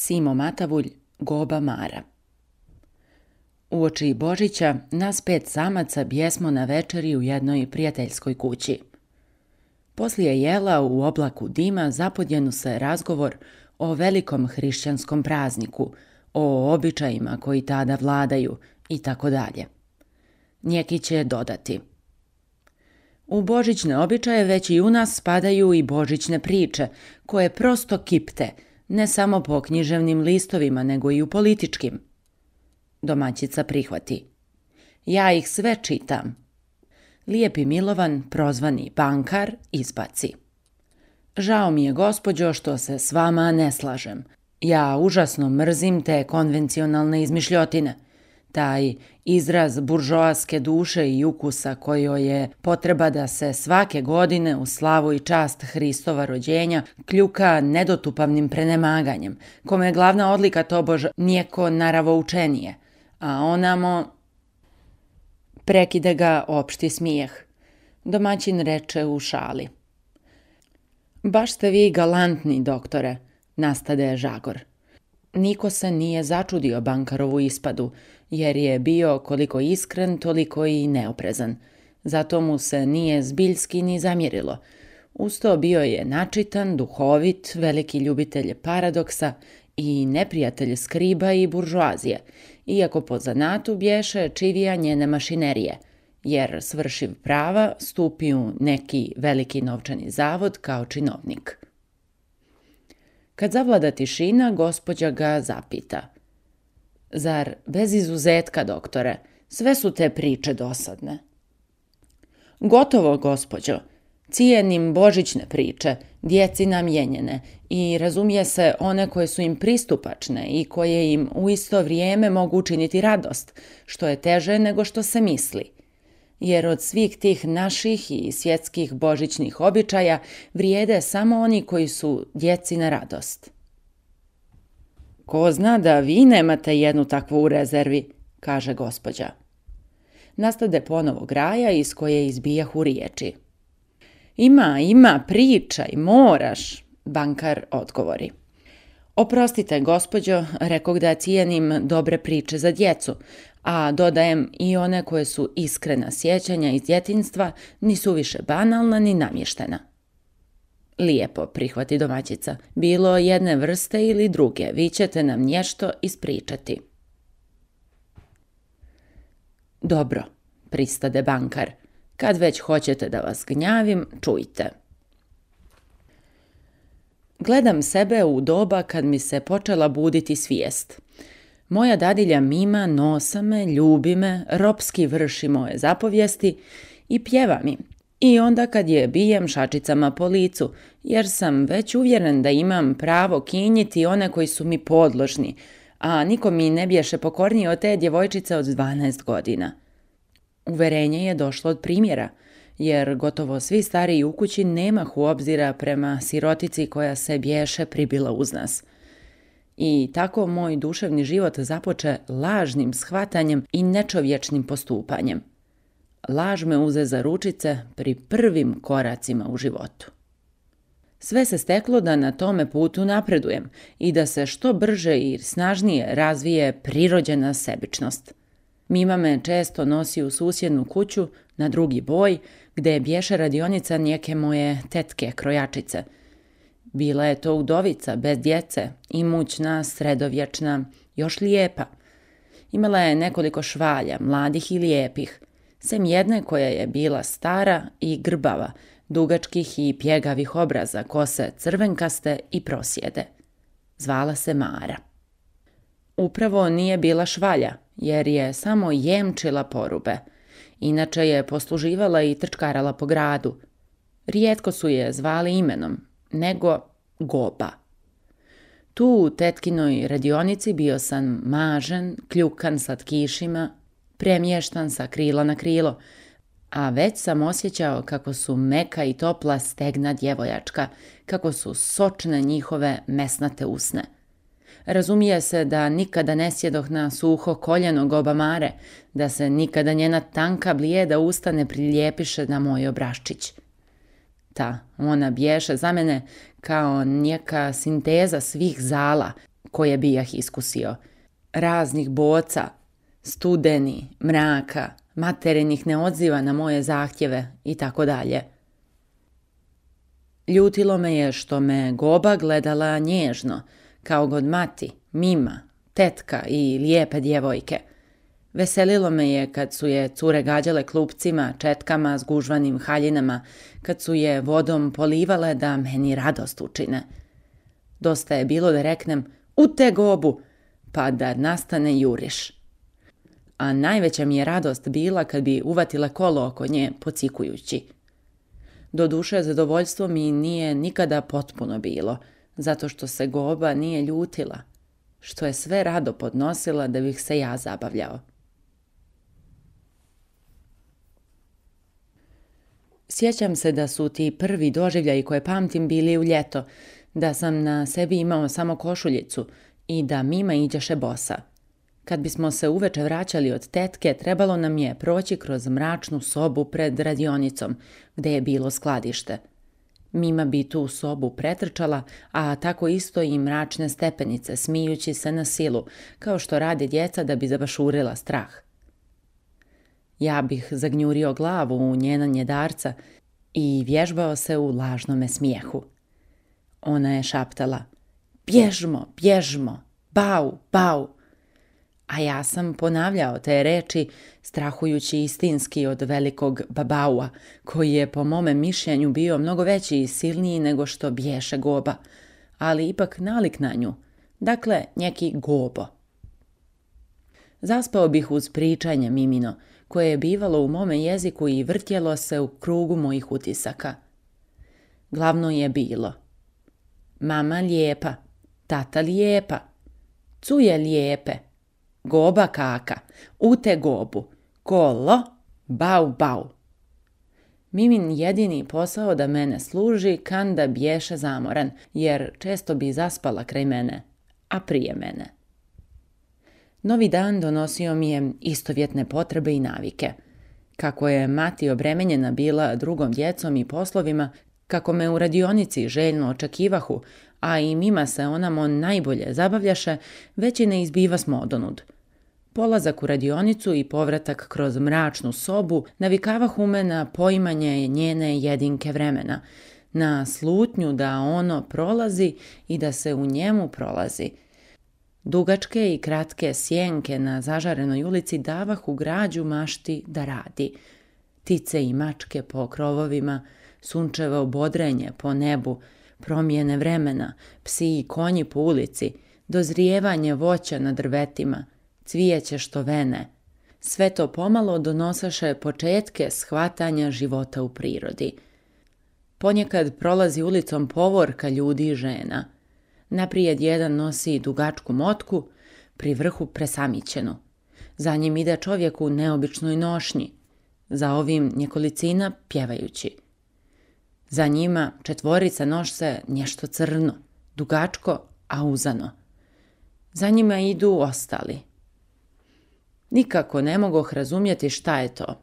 Simo Matavulj, Goba Mara. Uoči Božića nas 5 samaca bjesmo na večeri u jednoj prijateljskoj kući. Poslije jela u oblaku dima zapodjenu se razgovor o velikom hrišćanskom prazniku, o običajima koji tada vladaju i tako dalje. Njeki će dodati: u božićne običaje već i u nas spadaju i božićne priče, koje prosto kipte, ne samo po književnim listovima, nego i u političkim. Domaćica prihvati: ja ih sve čitam. Lijepi Milovan, prozvani bankar, izbaci: žao mi je, gospođo, što se s vama ne slažem. Ja užasno mrzim te konvencionalne izmišljotine. Taj izraz buržoaske duše i ukusa kojoj je potreba da se svake godine u slavu i čast Hristova rođenja kljuka nedotupavnim prenemaganjem, kome je glavna odlika tobož nijeko naravoučenije, a onamo... Prekide ga opšti smijeh. Domaćin reče u šali: baš ste vi galantni, doktore, nastade Žagor. Niko se nije začudio bankarovu ispadu, jer je bio koliko iskren, toliko i neoprezan. Zato mu se nije zbiljski ni zamjerilo. Usto bio je načitan, duhovit, veliki ljubitelj paradoksa i neprijatelj skriba i buržoazije, iako po zanatu bješe čivija njene mašinerije, jer svršiv prava stupi u neki veliki novčani zavod kao činovnik. Kad zavlada tišina, gospođa ga zapita: zar bez izuzetka, doktore, sve su te priče dosadne? Gotovo, gospođo. Cijenim božićne priče, djeci namijenjene, i razumije se one koje su im pristupačne i koje im u isto vrijeme mogu učiniti radost, što je teže nego što se misli. Jer od svih tih naših i svjetskih božićnih običaja vrijede samo oni koji su djeci na radost. Ko zna da vi nemate jednu takvu u rezervi, kaže gospođa. Nastade ponovo graja iz koje izbijahu riječi. Ima, pričaj, moraš, bankar odgovori. Oprostite, gospođo, rekog da cijenim dobre priče za djecu, a dodajem i one koje su iskrena sjećanja iz djetinjstva, nisu više banalna ni namještena. Lijepo, prihvati domaćica, bilo jedne vrste ili druge, vi ćete nam nešto ispričati. Dobro, pristade bankar, kad već hoćete da vas gnjavim, čujte. Gledam sebe u doba kad mi se počela buditi svijest. Moja dadilja Mima nosa me, ljubi me, ropski vrši moje zapovijesti i pjeva mi. I onda kad je bijem šačicama po licu, jer sam već uvjeren da imam pravo kinjiti one koji su mi podložni, a niko mi ne biješe pokornije od te djevojčice od 12 godina. Uverenje je došlo od primjera, jer gotovo svi stariji u kući nemahu obzira prema sirotici koja se biješe pribila uz nas. I tako moj duševni život započe lažnim shvatanjem i nečovječnim postupanjem. Laž me uze za ručice pri prvim koracima u životu. Sve se steklo da na tome putu napredujem i da se što brže i snažnije razvije prirođena sebičnost. Mima me često nosi u susjednu kuću na drugi boj, gdje bješe radionica nijeke moje tetke krojačice. Bila je to udovica, bez djece, imućna, sredovječna, još lijepa. Imala je nekoliko švalja, mladih i lijepih, sem jedne koja je bila stara i grbava, dugačkih i pjegavih obraza, kose crvenkaste i prosjede. Zvala se Mara. Upravo nije bila švalja, jer je samo jemčila porube. Inače je posluživala i trčkarala po gradu. Rijetko su je zvali imenom, nego Goba. Tu u tetkinoj radionici bio sam mažen, kljukan sa tkišima, premještan sa krila na krilo, a već sam osjećao kako su meka i topla stegna djevojačka, kako su sočne njihove mesnate usne. Razumije se da nikada ne sjedoh na suho koljeno Goba Mare, da se nikada njena tanka blijeda usta ne prilijepiše na moj obraščić. Ona bješe za mene kao neka sinteza svih zala, koje bijah iskusio. Raznih boca, studeni, mraka, materinih neodziva na moje zahtjeve i tako dalje. Ljutilo me je što me Goba gledala nježno, kao god mati, mima, tetka i lijepe djevojke. Veselilo me je kad su je cure gađale klupcima, četkama s gužvanim haljinama, kad su je vodom polivale da meni radost učine. Dosta je bilo da reknem u te Gobu, pa da nastane juriš. A najveća mi je radost bila kad bi uvatila kolo oko nje pocikujući. Doduše, zadovoljstvo mi nije nikada potpuno bilo, zato što se Goba nije ljutila, što je sve rado podnosila da bih se ja zabavljao. Sjećam se da su ti prvi doživljaji koje pamtim bili u ljeto, da sam na sebi imao samo košuljicu i da mima iđeše bosa. Kad bismo se uveče vraćali od tetke, trebalo nam je proći kroz mračnu sobu pred radionicom, gde je bilo skladište. Mima bi tu sobu pretrčala, a tako isto i mračne stepenice, smijući se na silu, kao što rade djeca da bi zabašurila strah. Ja bih zagnjurio glavu u njena njedarca i vježbao se u lažnome smijehu. Ona je šaptala, bježmo, bježmo, bau, bau. A ja sam ponavljao te reči, strahujući istinski od velikog babaua, koji je po mome mišljenju bio mnogo veći i silniji nego što bješe Goba, ali ipak nalik na nju, dakle neki Gobo. Zaspao bih uz pričanje mimino, koje je bivalo u mome jeziku i vrtjelo se u krugu mojih utisaka. Glavno je bilo: mama lijepa, tata lijepa, cuje lijepe, Goba kaka, ute Gobu, kolo, bau bau. Mimin jedini posao da mene služi kanda bješe zamoran, jer često bi zaspala kraj mene, a prije mene. Novi dan donosio mi je istovjetne potrebe i navike. Kako je mati obremenjena bila drugom djecom i poslovima, kako me u radionici željno očekivahu, a i mima se onamo najbolje zabavljaše, već i ne izbiva smodоnud. Polazak u radionicu i povratak kroz mračnu sobu navikavahu me na poimanje njene jedinke vremena, na slutnju da ono prolazi i da se u njemu prolazi. Dugačke i kratke sjenke na zažarenoj ulici davahu građu mašti da radi. Ptice i mačke po krovovima, sunčevo bodrenje po nebu, promjene vremena, psi i konji po ulici, dozrijevanje voća na drvetima, cvijeće što vene. Sve to pomalo donosaše početke shvatanja života u prirodi. Ponekad prolazi ulicom povorka ljudi i žena. Naprijed jedan nosi dugačku motku, pri vrhu presamićenu. Za njim ide čovjek u neobičnoj nošnji, za ovim njekolicina pjevajući. Za njima četvorica noše nešto crno, dugačko, a uzano. Za njima idu ostali. Nikako ne mogoh razumjeti šta je to,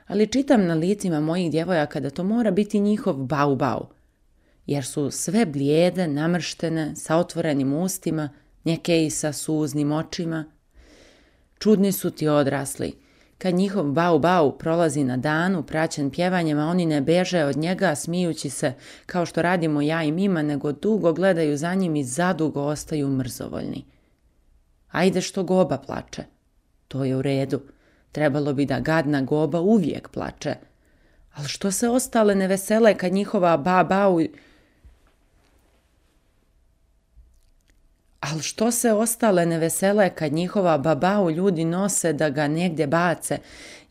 ali čitam na licima mojih djevojaka da to mora biti njihov bau bau, jer su sve blijede, namrštene, sa otvorenim ustima, neke i sa suznim očima. Čudni su ti odrasli. Kad njihov bau bau prolazi na danu, praćen pjevanjem, a oni ne beže od njega smijući se kao što radimo ja i mima, nego dugo gledaju za njim i zadugo ostaju mrzovoljni. Ajde što Goba plače. To je u redu. Trebalo bi da gadna Goba uvijek plače. Ali što se ostale ne vesele kad njihova bau... Ali što se ostale ne vesele kad njihova babau ljudi nose da ga negdje bace,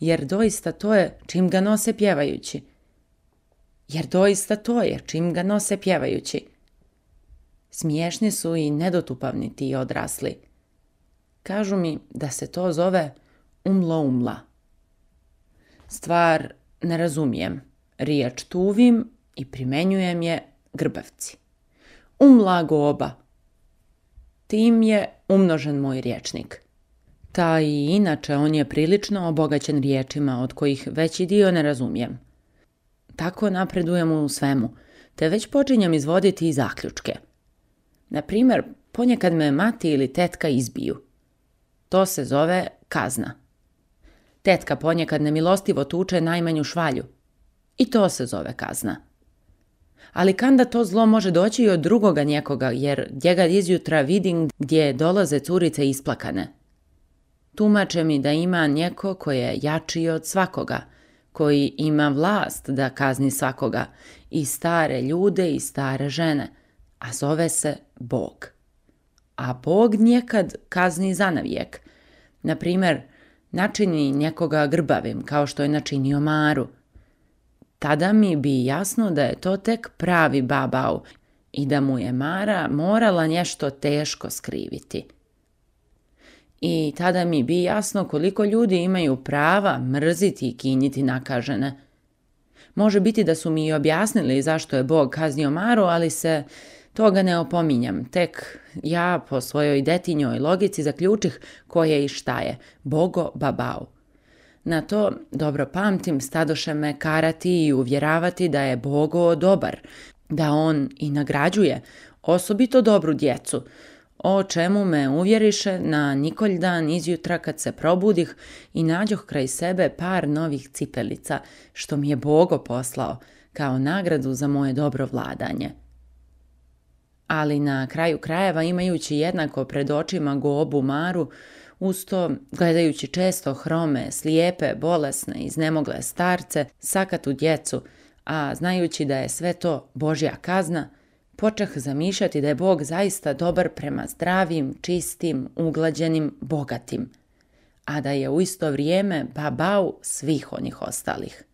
jer doista to je čim ga nose pjevajući. Smiješni su i nedotupavni ti odrasli. Kažu mi da se to zove umla. Stvar ne razumijem. Riječ tuvim i primenjujem je grbavci. Umla Goba. Tim je umnožen moj rječnik. Ta i inače on je prilično obogaćen riječima od kojih veći dio ne razumijem. Tako napredujem u svemu, te već počinjem izvoditi i zaključke. Na primjer, ponekad me mati ili tetka izbiju. To se zove kazna. Tetka ponekad nemilostivo tuče najmanju švalju. I to se zove kazna. Ali kanda to zlo može doći i od drugoga njekoga, jer njega izjutra vidim gdje dolaze curice isplakane. Tumače mi da ima njeko koji je jači od svakoga, koji ima vlast da kazni svakoga, i stare ljude i stare žene, a zove se Bog. A Bog njekad kazni zanavijek. Naprimjer, načini njekoga grbavim, kao što je načinio Maru. Tada mi bi jasno da je to tek pravi babau i da mu je Mara morala nešto teško skriviti. I tada mi bi jasno koliko ljudi imaju prava mrziti i kinjiti nakažene. Može biti da su mi i objasnili zašto je Bog kaznio Maru, ali se toga ne opominjam. Tek ja po svojoj detinjoj logici zaključih ko je i šta je. Bogo babau. Na to, dobro pamtim, stadoše me karati i uvjeravati da je Bogo dobar, da on i nagrađuje, osobito dobru djecu, o čemu me uvjeriše na Nikolj dan izjutra kad se probudih i nađoh kraj sebe par novih cipelica, što mi je Bogo poslao, kao nagradu za moje dobro vladanje. Ali na kraju krajeva, imajući jednako pred očima Gobu Maru, usto gledajući često hrome, slijepe, bolesne, iznemogle starce, sakatu djecu, a znajući da je sve to Božja kazna, počeh zamišljati da je Bog zaista dobar prema zdravim, čistim, uglađenim, bogatim, a da je u isto vrijeme babau svih onih ostalih.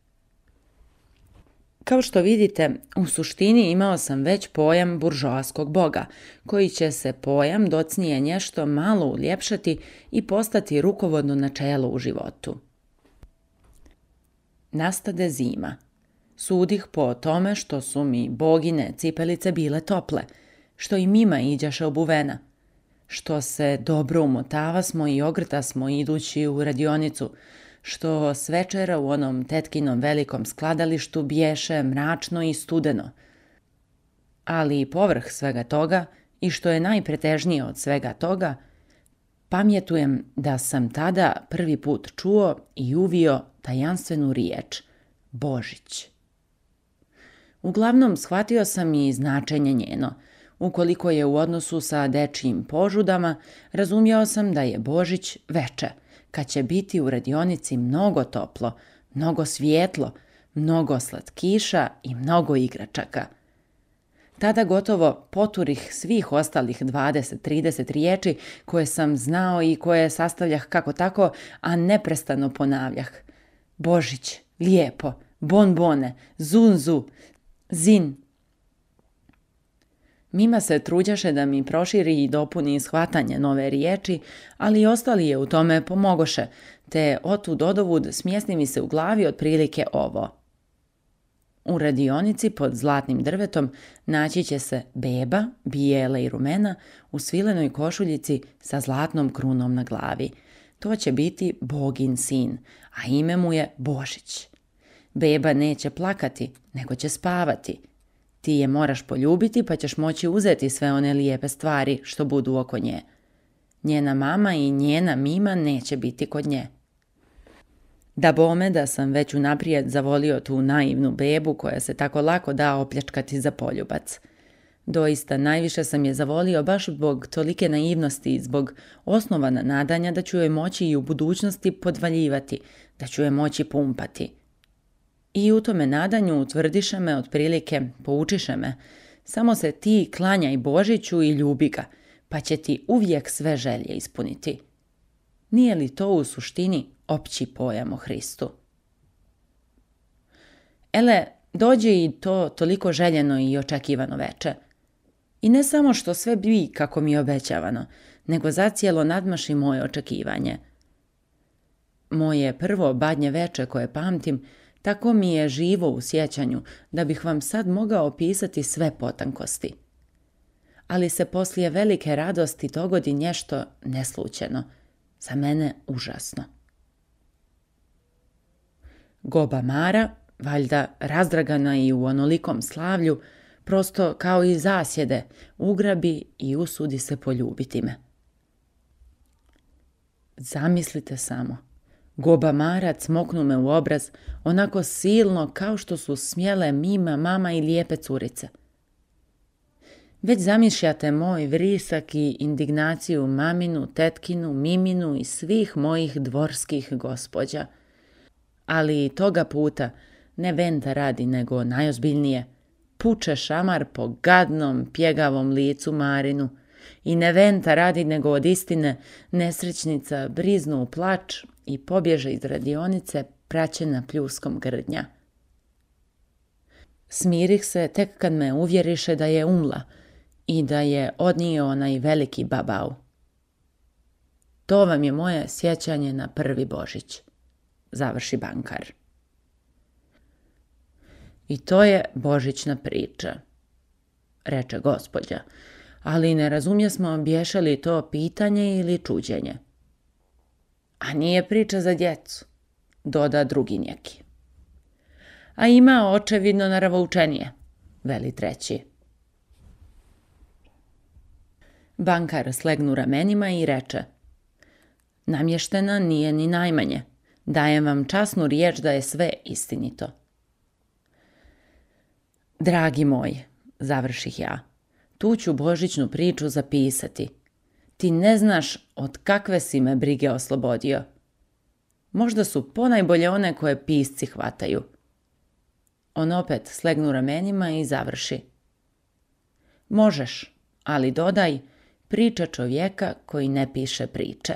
Kao što vidite, u suštini imao sam već pojam buržoaskog boga, koji će se pojam docnije nešto malo uljepšati i postati rukovodno načelo u životu. Nastade zima. Sudih po tome što su mi bogine cipelice bile tople, što i mima iđaše obuvena, što se dobro umotava smo i ogrta smo idući u radionicu, što s večera u onom tetkinom velikom skladalištu bješe mračno i studeno. Ali i povrh svega toga, i što je najpretežnije od svega toga, pamjetujem da sam tada prvi put čuo i uvio tajanstvenu riječ Božić. Uglavnom shvatio sam i značenje njeno. Ukoliko je u odnosu sa dečijim požudama, razumjeo sam da je Božić veče, kad će biti u radionici mnogo toplo, mnogo svijetlo, mnogo slatkiša i mnogo igračaka. Tada gotovo poturih svih ostalih 20-30 riječi koje sam znao i koje sastavljah kako tako, a neprestano ponavljah. Božić, lijepo, bonbone, zunzu, zin. Mima se truđaše da mi proširi i dopuni shvatanje nove riječi, ali i ostali je u tome pomogoše, te otud odovud smjesti mi se u glavi otprilike ovo. U radionici pod zlatnim drvetom naći će se beba, bijela i rumena, u svilenoj košuljici sa zlatnom krunom na glavi. To će biti Bogin sin, a ime mu je Božić. Beba neće plakati, nego će spavati. Ti je moraš poljubiti pa ćeš moći uzeti sve one lijepe stvari što budu oko nje. Njena mama i njena mima neće biti kod nje. Da bome da sam već unaprijed zavolio tu naivnu bebu koja se tako lako da opljačkati za poljubac. Doista, najviše sam je zavolio baš zbog tolike naivnosti i zbog osnovana nadanja da ću joj moći i u budućnosti podvaljivati, da ću je moći pumpati. I u tome nadanju utvrdiše me otprilike, poučiše me, samo se ti klanjaj Božiću i ljubi ga, pa će ti uvijek sve želje ispuniti. Nije li to u suštini opći pojam o Hristu? Ele, dođe i to toliko željeno i očekivano veče. I ne samo što sve bi kako mi je obećavano, nego zacijelo nadmaši moje očekivanje. Moje prvo badnje veče koje pamtim, tako mi je živo u sjećanju da bih vam sad mogao opisati sve potankosti. Ali se poslije velike radosti dogodi nešto neslućeno, za mene užasno. Goba Mara, valjda razdragana i u onolikom slavlju, Prosto kao i zasjede, ugrabi i usudi se poljubiti me. Zamislite samo, gobamarac smoknu me u obraz, onako silno kao što su smjele Mima, mama i lijepe curice. Već zamišljate moj vrisak i indignaciju maminu, tetkinu, Miminu i svih mojih dvorskih gospođa. Ali toga puta ne Venta radi, nego najozbiljnije. Puče šamar po gadnom, pjegavom licu Marinu i ne Venta radi, nego od istine nesrećnica briznu u plač i pobježe iz radionice praćena pljuskom grdnja. Smirih se tek kad me uvjeriše da je umla i da je odnio onaj veliki babau. To vam je moje sjećanje na prvi Božić, završi bankar. I to je božićna priča, reče gospođa, ali ne razumjesmo bješe li to pitanje ili čuđenje. A nije priča za djecu, doda drugi neki. A ima očevidno naravoučenije, veli treći. Bankar slegnu ramenima i reče: namještena nije ni najmanje, dajem vam časnu riječ da je sve istinito. Dragi moj, završih ja, tu ću božićnu priču zapisati. Ti ne znaš od kakve si me brige oslobodio. Možda su ponajbolje one koje pisci hvataju. On opet slegnu ramenima i završi. Možeš, ali dodaj, priča čovjeka koji ne piše priče.